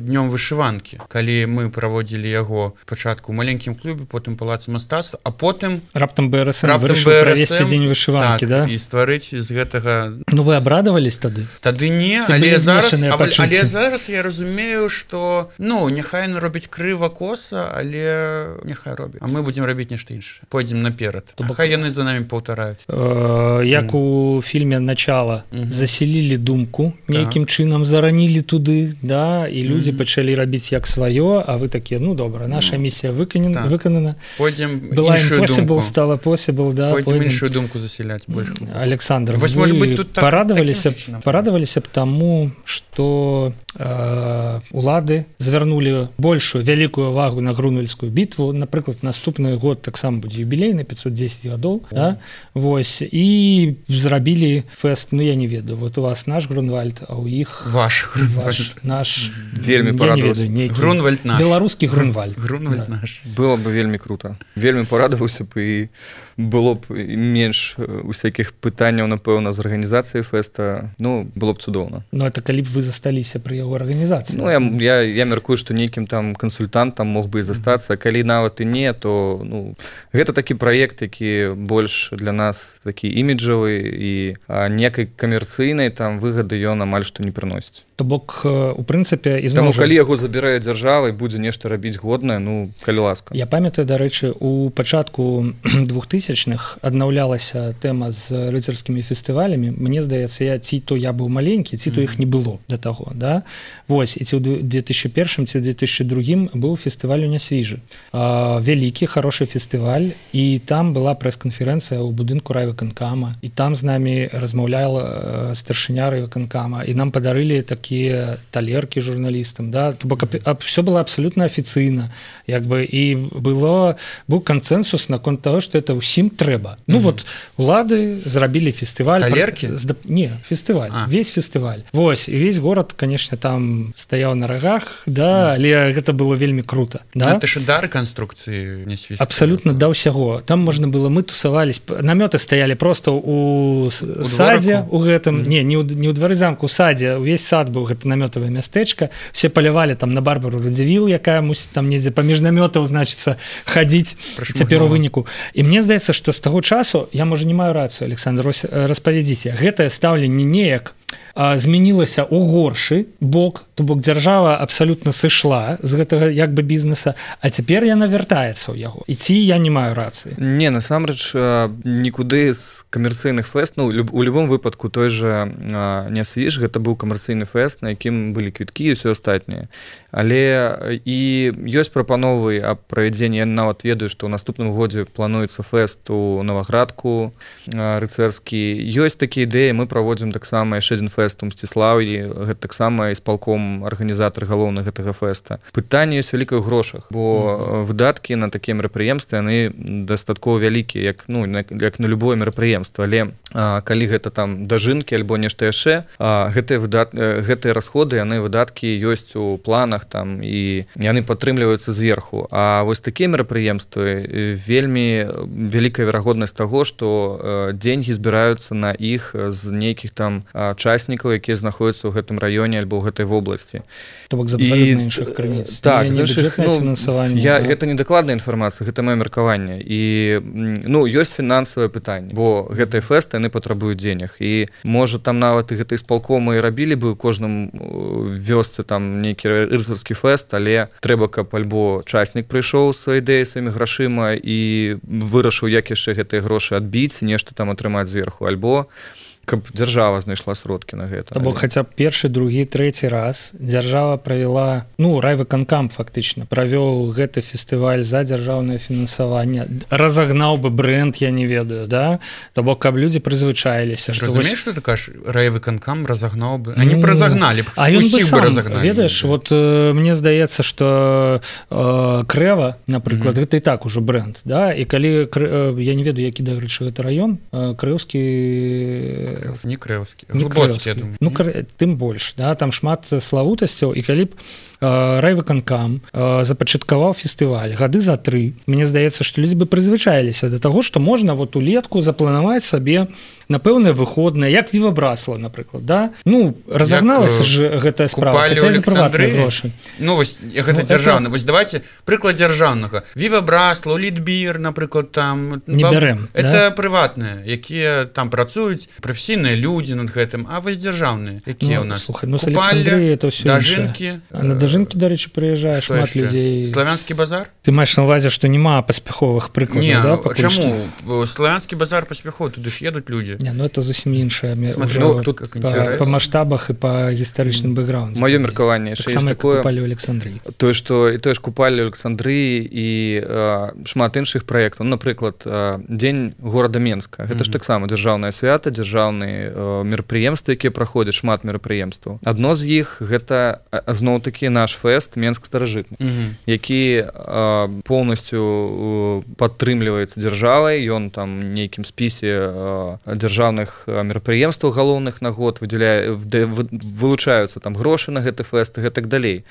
[SPEAKER 2] днём вышыванкі. Калі мы праводзілі яго пачатку ў маленькім клубе, потым палацы мастацтва, а потым...
[SPEAKER 1] Раптам БРСМ вырашыў правесці дзень вышыванкі,
[SPEAKER 2] так,
[SPEAKER 1] да?
[SPEAKER 2] І стварыць з гэтага...
[SPEAKER 1] Ну, вы абрадавались тады?
[SPEAKER 2] Тады не, але зараз, але зараз я разумею, што, ну, няхай робіць крыва коса, але няхай робіць. А мы будзем рабіць нешта іншае. Пойдзем наперад. А хай яны за намі паўтараюць.
[SPEAKER 1] Як у фільме «Начало» заселілі думку, нейкім чынам заранілі туды, да, і людзі пачалі рабіць як сваё, а вы такія, ну, добра, наша місія выканана.
[SPEAKER 2] Пойдзем іншую думку.
[SPEAKER 1] Стала possible, да.
[SPEAKER 2] Пойдзем іншую думку заселяць больш.
[SPEAKER 1] Александр, вы парадаваліся б таму, што улады звярнулі большую вялікую увагу на Грунвальдскую бітву. Напрыклад, наступны год таксама будзе юбілейны, пятьсот десять гадоў, да? Вось, і зрабілі фэст, ну, я не ведаю, вот у вас наш Грунвальд, а у іх
[SPEAKER 2] ваш
[SPEAKER 1] Грунвальд. Наш,
[SPEAKER 3] вельмі парадаваўся.
[SPEAKER 2] Грунвальд наш.
[SPEAKER 1] Беларускі Грунвальд.
[SPEAKER 2] Грунвальд
[SPEAKER 1] да.
[SPEAKER 2] наш.
[SPEAKER 3] Было бы вельмі круто. Вельмі парадаваўся б, і было б менш усякіх пытанняў, напэўна, з арганізацыяй фэста. Ну, было б цудоўна.
[SPEAKER 1] Ну, это калі б вы засталіся пры яго арганізацыі. арганізацыі.
[SPEAKER 3] Ну, я, я, я мяркую, што нейкім там кансультантам мог бы і застацца, калі нават і не, то ну, гэта такі праект, які больш для нас такі іміджавы і некай камерцыйнай там выгады ён амаль што не прыносіць.
[SPEAKER 1] То бок у прынцыпе і
[SPEAKER 3] зноў калі яго забірае дзяржава і будзе нешта рабіць годнае, ну калі ласка.
[SPEAKER 1] Я памятаю, дарэчы, у пачатку двухтысячных аднаўлялася тэма з рыцарскімі фестывалямі. Мне здаецца, я ці то я быў маленькі, ці то іх не было да таго, да? Вось, і ці ў две тысячи першым, ці ў две тысячи другім быў фестываль у Нясвіжы. Вялікі, хорошы фестываль, і там была прэс-канферэнцыя ў будынку райвыканкама, і там з намі размаўляла старшыня райвыканкама, і нам падарылі такія талеркі журналістам, да? То бок все было абсолютно афіцыйна, як бы, і было, быў кансенсус наконт того, што это ўсім трэба. Ну mm-hmm. вот, улады зрабілі фестываль.
[SPEAKER 2] Талеркі?
[SPEAKER 1] Пра... Не, фестываль, а. Весь фестываль. Вось, і весь горад, конечно, там стаяў на рагах, да, mm. але гэта было вельмі круто. Да?
[SPEAKER 2] Гэта ж да рэканструкцыі не свіст.
[SPEAKER 1] Абсолютно да ўсяго. Там можна было, мы тусавались, намёты стаялі просто у, у садзе, у гэтым, mm. не, не ў, не ў двары замку, у садзе, увесь сад быў гэта намётавае мястэчка, все палявалі там на Барбару Радзівіл, якая мусіць там недзе паміж намётаў, значыцца, хадзіць цяпер у выніку. І мне здаецца, што з таго часу, я, можа, не маю рацыю, Александр, распавядзіце, гэтае стаўленне неяк змянілася ў горшы бок, то бок дзяржава абсалютна сышла з гэтага як бы бізнеса, а цяпер яна вяртаецца ў яго. І ці я не маю рацыі?
[SPEAKER 3] Не, насамрэч нікуды з камерцыйных фэст, ну, у любым выпадку той жа Нясвіж, гэта быў камерцыйны фэст, на якім былі квіткі і ўсё астатняе. Але і ёсць прапановы аб правядзенні, я нават ведаю, што ў наступным годзе плануецца фэст у Новаградку рыцарскі. Ёсць такія ідэі, мы праводзім таксама яшчэ адзін фэст у Мсціслаўі, гэта таксама ісполком арганізатар галоўны гэтага фэста. Пытанне ёсць вялікае ў грошах, бо mm-hmm. выдаткі на такія мерапрыемствы яны дастаткова вялікія, як ну як на любое мерапрыемства, але а, калі гэта там дажынкі альбо нешта яшчэ, а, гэтыя выдат гэтыя расходы, яны выдаткі ёсць у планах там і яны падтрымліваюцца зверху. А вось такія мерапрыемствы вельмі вялікая верагоднасць таго, што деньги збіраюцца на іх з нейкіх там учаснікаў, якія знаходзяцца ў гэтым раёне альбо ў гэтай вобласці.
[SPEAKER 1] То бок з абсалютна іншых крыніц.
[SPEAKER 3] Так, з іншых, ну, я, да? Гэта не дакладная інфармацыя, гэта маё меркаванне. І ну, ёсць фінансавае пытанне, бо гэтыя фэсты, яны патрабуюць денег. І можа там нават і гэтай спалкомы рабілі бы ў кожным вёсцы там нейкі рыцарскі фэст, але трэба, каб альбо учаснік прыйшоў з ідэяй сваімі грашыма і вырашыў, як яшчэ гэтыя грошы адбіць, нешта там атрымаць зверху, альбо каб дзяржава знайшла сродкі на гэта.
[SPEAKER 1] Бо хаця б першы, другі, трэці раз дзяржава правяла, ну, райвыканкам фактычна правёў гэты фестываль за дзяржаўнае фінансаванне, разагнаў бы брэнд, я не ведаю, да? То бок, каб людзі прызвычаіліся.
[SPEAKER 2] Разумееш, што ты кажаш, райвыканкам разагнаў бы? Они ну, разагналі б,
[SPEAKER 1] а
[SPEAKER 2] усіх бы разагналі.
[SPEAKER 1] Ведаеш, вот э, мне здаецца, што э, Крэва, напрыклад, mm-hmm. гэта і так ужо брэнд, да? І калі, э, я не ведаю, які, дарэчы, гэта раён, э, Крэўскі
[SPEAKER 2] не крэўскі, глыбоцкі, я думаю.
[SPEAKER 1] Ну, кр... тым больш, да, там шмат славутасцяў, і калі б э, райвыканкам э, запачаткаваў фестываль гады за тры, мне здаецца, што людзі бы прызвычаіліся да таго, што можна вот улетку запланаваць сабе на пэўнае выходнае, як Віва Браслава, напрыклад, да? Ну, разагналася ж гэтая справа, хаця за прыватныя грошы.
[SPEAKER 2] Ну, вось, гэта дзяржаўна. Вось давайте прыклад дзяржаўнага. Віва Браслава, Літбір, напрыклад, там...
[SPEAKER 1] Не бярем,
[SPEAKER 2] это
[SPEAKER 1] да?
[SPEAKER 2] Прыватныя, якія там працуюць, прафесійныя людзі над гэтым, а вось дзяржаўныя, якія
[SPEAKER 1] ну,
[SPEAKER 2] ў нас?
[SPEAKER 1] Слухай, ну, Александрыя, это ўсё
[SPEAKER 2] дажынкі.
[SPEAKER 1] А на дажынкі, дарэчы, прыязджае шмат яшчэ? Людзей.
[SPEAKER 2] Славянскі базар?
[SPEAKER 1] Ты маеш на ўвазе, што няма паспяховых прыкладаў,
[SPEAKER 2] не,
[SPEAKER 1] да?
[SPEAKER 2] Не, чаму? Славянскі базар паспяховы, туды ж едуць людзі.
[SPEAKER 1] Не, ну это зусім іншая
[SPEAKER 2] ну, тут
[SPEAKER 1] па, па маштабах і па гістарычным бэкграўндзе.
[SPEAKER 3] Маё меркаванне
[SPEAKER 1] так само,
[SPEAKER 3] такое,
[SPEAKER 1] купалі ў Александрыі.
[SPEAKER 3] Тое, што і тое ж купалі ў Александрыі і а, шмат іншых праектаў. Ну, напрыклад, а, дзень горада Менска. Гэта mm-hmm. ж таксама дзяржаўнае свята, дзяржаўныя мерапрыемствы, якія праходзяць, шмат мерапрыемстваў. Адно з іх гэта зноў-такі наш фэст Менск старажытны, mm-hmm. які а, поўнасцю падтрымліваецца дзяржавай, ён там нейкім спісе а, дзяржаўных мерапрыемстваў галоўных на год, выдзяляе вылучаюцца там грошы на гэты фэст і гэтак далей.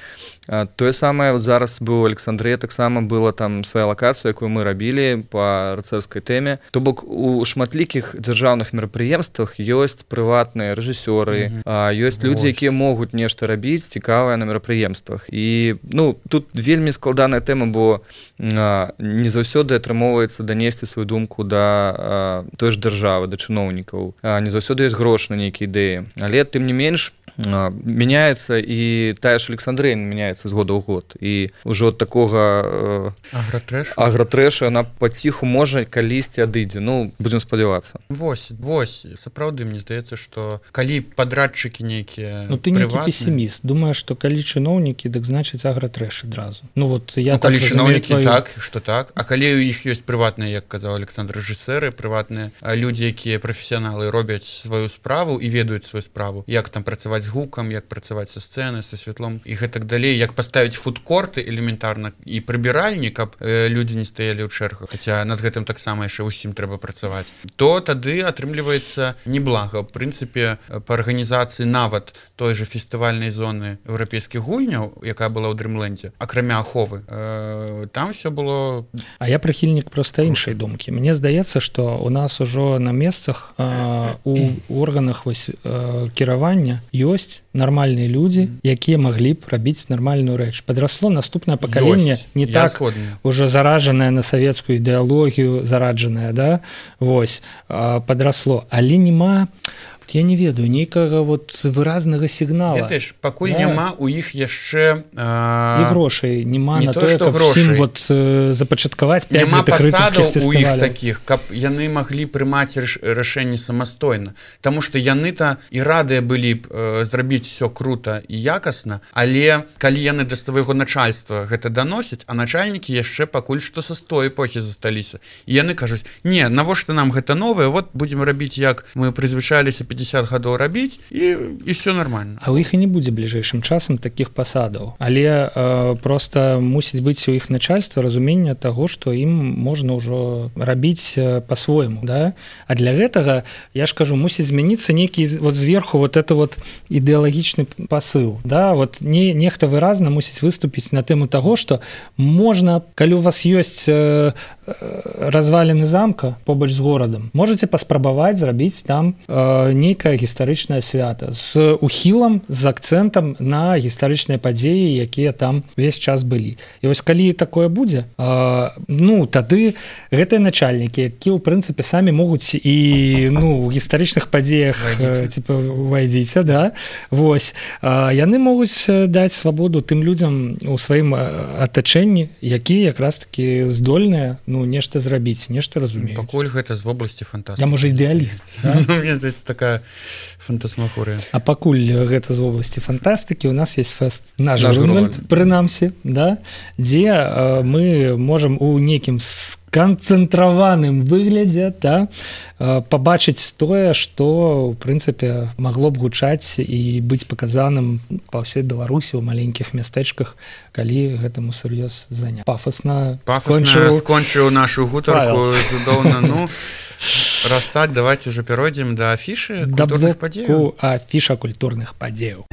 [SPEAKER 3] Тое самае вот зараз быў у Александрыі, таксама была там свая лакацыя, якую мы рабілі па рыцарскай тэме. То бок у шматлікіх дзяржаўных мерапрыемствах ёсць прыватныя рэжысёры, mm-hmm. ёсць людзі, якія могуць нешта рабіць цікавае на мерапрыемствах. І ну тут вельмі складаная тэма, бо а, не заўсёды атрымоўваецца данесці сваю думку да а, той ж дзяржавы, да чыноўнікаў. А, не заўсёды ёсць грошы на нейкія ідэі. Але тым не менш мяняецца і тая ж Александрыя мяняецца з года ў год. І ўжо ад такога э,
[SPEAKER 2] агратрэшу
[SPEAKER 3] агратрэшу яна паціху можа калісьці адыдзе. Ну, будзем спадзявацца.
[SPEAKER 2] Вось, вось, сапраўды, мне здаецца, што калі падрадчыкі нейкія
[SPEAKER 1] ну, ты нейкі песіміст. Думаеш, што калі чыноўнікі, дык значыць агратрэш адразу. Ну, вот, я
[SPEAKER 2] ну, калі
[SPEAKER 1] так
[SPEAKER 2] чыноўнікі
[SPEAKER 1] твою...
[SPEAKER 2] так, што так. А калі у іх ёсць прыватныя, як казаў Александр, рэжысэры, прыватныя людзі, якія прафесіяналы робяць сваю справу і ведаюць сваю справу, як там працаваць з гукам, як працаваць са сцэны, са святлом і гэтак далей, як паставіць фудкорты элементарна і прыбіральні, каб э, людзі не стаялі ў чэргах, хаця над гэтым таксама яшчэ ўсім трэба працаваць, то тады атрымліваецца неблага. В прынцыпе, па арганізацыі нават той же фестывальнай зоны еўрапейскіх гульняў, якая была ў Дрымлендзе, акрамя аховы, э, там все было...
[SPEAKER 1] А я прыхільнік проста іншай думкі. Мне здаецца, што у нас ужо на месцах э, у органах вось, э, кіравання ёсць нармальныя людзі, якія маглі б рабіць нармальную рэч. Падрасло наступнае пакаленне не
[SPEAKER 2] я
[SPEAKER 1] так
[SPEAKER 2] згодны.
[SPEAKER 1] Уже заражанае на савецкую ідэалогію, зараджанае, да? Вось, падрасло. Але нема, я не ведаю, нейкага вот выразнага сігнала.
[SPEAKER 2] Ведаеш, пакуль да. няма у іх яшчэ а...
[SPEAKER 1] і грошай няма
[SPEAKER 2] не
[SPEAKER 1] на
[SPEAKER 2] то,
[SPEAKER 1] тое, каб всім вот э, запачаткаваць пяць гэтых рыцарскіх фестываляў.
[SPEAKER 2] У іх такіх, каб яны маглі прымаць рашэнні самастойна. Таму што яны-то і радыя былі б э, зрабіць все крута і якасна, але калі яны да свайго начальства гэта даносяць, а начальнікі яшчэ пакуль што са той эпохі засталіся. І яны кажуць: "Не, навошта нам гэта новае? Вот будзем рабіць, як мы прызвычаліся пятьдесят гадоў рабіць, і і все нормально".
[SPEAKER 1] А ў іх і не будзе бліжэйшым часам такіх пасадаў. Але э, просто мусіць быць у іх начальства разуменне таго, што ім можна ўжо рабіць э, па-свойму, да? А для гэтага, я ж кажу, мусіць змяніцца нейкі вот зверху вот это вот ідэалагічны пасыл, да? Вот не нехта выразна мусіць выступіць на тэму таго, што можна, калі у вас ёсць э, разваліны замка побач з горадам, можаце паспрабаваць зрабіць там э, нейкае гістарычнае свята з ухілам, з акцэнтам на гістарычныя падзеі, якія там увесь час былі. І вось калі такое будзе, э, ну, тады гэтыя начальнікі, якія, ў прынцыпе, самі могуць і ну, у гістарычных падзеях э, типа, увайдзіце, да? Вось. Э, яны могуць даць свабоду тым людзям у сваім атачэнні, якія якраз такі здольныя ну, нешта зрабіць, нешта разумеюць.
[SPEAKER 2] Пакуль гэта з вобласці фантастыкі.
[SPEAKER 1] Я, можа, ідэаліст.
[SPEAKER 2] Да? Мне здаецца, такая фантасмагорыя.
[SPEAKER 1] А пакуль гэта з вобласці фантастыкі, у нас есть фэст наш Грунвальд, прынамсі, да? Дзе э, мы можам у нейкім сканцэнтраваным выглядзе да, э, пабачыць тое, што, ў прынцыпе, магло б гучаць і быць паказаным па ўсёй Беларусі ў маленькіх мястэчках, калі гэтаму сур'ёз заняць. Пафасна,
[SPEAKER 2] Пафасна скончыў, скончыў нашу гутарку цудоўна. Ну, раз так, давайте уже перейдем до афіши культурных падзеяў.
[SPEAKER 1] Афіша культурных падзеяў.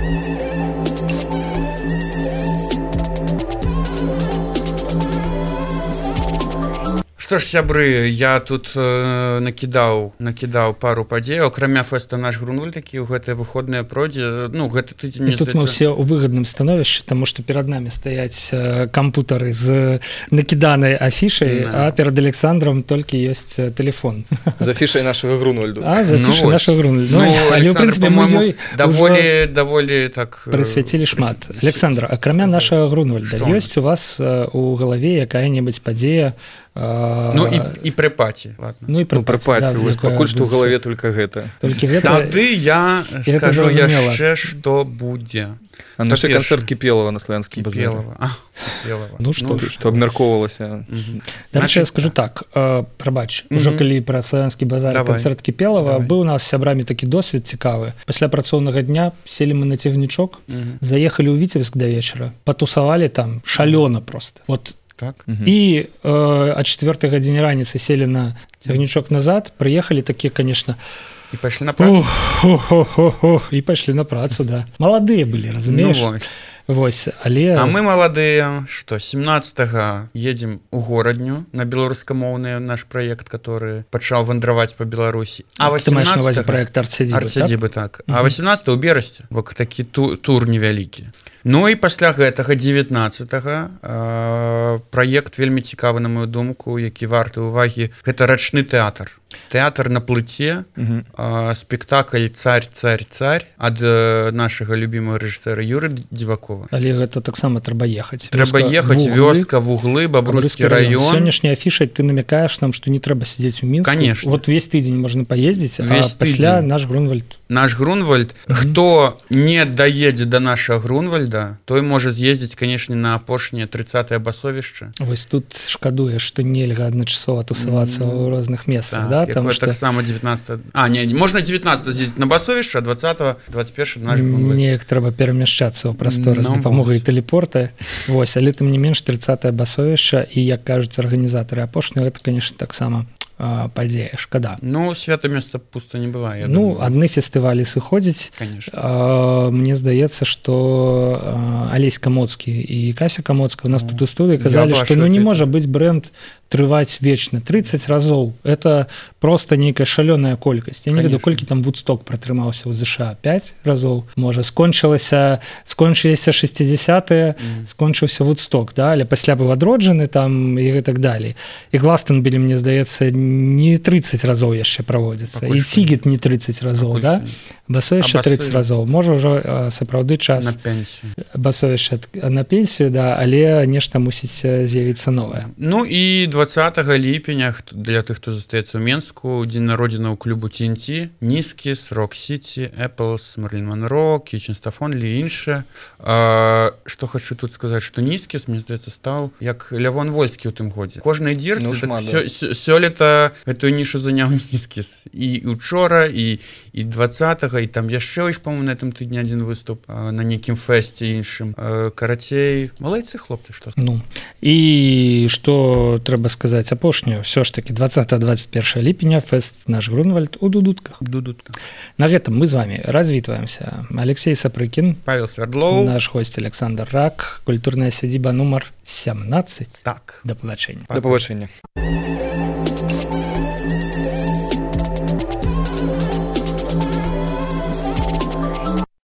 [SPEAKER 2] Што ж, сябры, я тут э, накідаў накідаў пару падзеяў, акрамя фэста наш Грунвальд, які ў гэтыя выходныя пройдзе. Ну, гэта тыдзень, мне
[SPEAKER 1] тут
[SPEAKER 2] здаецца...
[SPEAKER 1] мы ўсе ў выгадным становішчы, таму што перад намі стаяць э, кампутары з накіданай афішай, да. А перад Александром толькі ёсць тэлефон.
[SPEAKER 3] З афішай нашага Грунвальду.
[SPEAKER 1] А, з афішай ну, нашага Грунвальду.
[SPEAKER 2] Ну, ну,
[SPEAKER 1] але, ў прынцыпе, мы
[SPEAKER 2] даволі, даволі так...
[SPEAKER 1] прысвяцілі шмат. Александр, акрамя нашага Грунвальда, ёсць у вас э, у галаве якая-небудзь падзея,
[SPEAKER 2] ну і, і пры паці, ладно.
[SPEAKER 1] Ну і пры
[SPEAKER 3] ну, паці, да, вось, пакуль што ў галаве толькі гэта.
[SPEAKER 1] Толькі гэта.
[SPEAKER 2] Тады я скажу яшчэ, што будзе.
[SPEAKER 3] А наш канцэрт Кіпелава на славянскім базары.
[SPEAKER 2] Кіпелава. А, Кіпелава.
[SPEAKER 1] Ну што,
[SPEAKER 3] ну, што абмяркоўвалася.
[SPEAKER 1] Дарэчы, я скажу так, э, прабач, ужо калі пра славянскі базар, канцэрт Кіпелава, быў у нас з сябрамі такі досвед цікавы. Пасля працоўнага дня селі мы на цягнічок, заехалі ў Віцебск да вечара, патусавалі там шалёна проста. Вот
[SPEAKER 2] так.
[SPEAKER 1] І э, о четвертой гадзіне раніцы селі на цягнічок назад, прыехалі такія, конечно,
[SPEAKER 2] і пайшлі на працу.
[SPEAKER 1] І пайшлі на працу, да. Маладыя былі, разумееш?
[SPEAKER 2] Ну, вот.
[SPEAKER 1] Вось, але...
[SPEAKER 2] А мы маладыя, што семнадцатага едзем у горадню на беларускамоўны наш праект, который пачаў вандраваць па Беларусі. А
[SPEAKER 1] ты маеш на увазе праект арт-сядзібы,
[SPEAKER 2] арт-сядзібы, так? так. А восемнадцатага ў берасці, бо такі ту, тур невялікі. Ну і пасля гэтага девятнадцатага э, праект вельмі цікавы, на мою думку, які варты ўвагі. Гэта рачны тэатр. Тэатр на плыце, uh-huh. э, спектакль «Царь, царь, царь» ад э, нашага любімага рэжысэра Юры Дзівакова.
[SPEAKER 1] Але гэта таксама трэба ехаць.
[SPEAKER 2] Трэба ехаць, вёска, вуглы, Бабруйскі раён.
[SPEAKER 1] Сённяшняй афішай ты намякаеш нам, што не трэба сидзець у Мінску.
[SPEAKER 2] Конечно.
[SPEAKER 1] Вот весь тыдзень можна паездзіць,
[SPEAKER 2] весь
[SPEAKER 1] а пасля
[SPEAKER 2] тыдзень.
[SPEAKER 1] наш Грунвальд.
[SPEAKER 2] Наш Грунвальд. Uh-huh. Хто не даедзе да нашага Грунвальда, той можа з'ездзіць, канешне, на апошняе трыццатае басовішча.
[SPEAKER 1] Вось тут шкадуеш, што нельга адначасова тусавацца mm-hmm. ў розных месцах,
[SPEAKER 2] так,
[SPEAKER 1] да?
[SPEAKER 2] Там што... так само девятнадцатого... А, не, можна девятнадцатого з'ездзіць на басовішча, а двадцатого, двадцать первого наш Грунвальд.
[SPEAKER 1] Неяк трэба перамяшчацца ў прасторы з дапамогай тэлепорта. Вось, але тым не менш трыццатае басовішча і, як кажуць арганізатары апошнія, гэта, конечно, таксама падзея, шкада.
[SPEAKER 2] Ну, свята месца пуста не бывае.
[SPEAKER 1] Ну, думаю. Адны фестывалі сыходзяць. А, мне здаецца, што Алесь Камоцкі і Кася Камоцка у нас тут у студыі казалі, што ну не можа быць бренд трываць вечна. трыццаць разоў. Это просто нейкая шалёная колькасць. Я не ведаю, колькі там Вудсток пратрымаўся ў ЗША. пять разоў. Можа, скончылася, скончыліся шэсцідзесятыя, mm. скончыўся Вудсток, да? Але пасля быў адроджаны там і гэтак далей. І Гластенбілі, мне здаецца, не трыццаць разоў яшчэ праводзіцца. І Сігет не трыццаць разоў, да? Басовішча трыццаць разоў. Можа, ўжо сапраўды час
[SPEAKER 2] на пенсію.
[SPEAKER 1] Басовішча на пенсію, да, але нешта мусіць з'явіцца новае.
[SPEAKER 2] Ну і двадцатага ліпеня для тых, хто застаецца ў Менску, дзень народзінаў клубу Ти Эн Ти, Нискіс, Рок Сіті, Эпплс, Марлін Монро, Кічен Стафонлі і іншае. Што хочу тут сказаць, што Нискіс, мне здаецца, стаў як Лявон Вольскі ў тым годзе. Кожнай дзірцы
[SPEAKER 3] ну,
[SPEAKER 2] так, сё, сёлета гэтую нішу заняў Нискіс. І учора, і, і двадцатага, і там яшчэ іх, по-моему, на этом тыдні адзін выступ на нейкім фэсце іншым. Карацей, малайцы хлопцы, што?
[SPEAKER 1] Ну, і што трэба сказаць апошняе, ўсё ж такі двадцатага двадцать первого ліпеня фэст наш Грунвальд у Дудутках.
[SPEAKER 2] Дудутках.
[SPEAKER 1] На гэтым мы з вами развітваемся. Алексей Сапрыкін,
[SPEAKER 2] Павел Свердлоў,
[SPEAKER 1] наш гость Александр Рак, культурная сядзіба нумар семнадцать.
[SPEAKER 2] Так.
[SPEAKER 1] Да пабачэння.
[SPEAKER 3] Да пабачэння.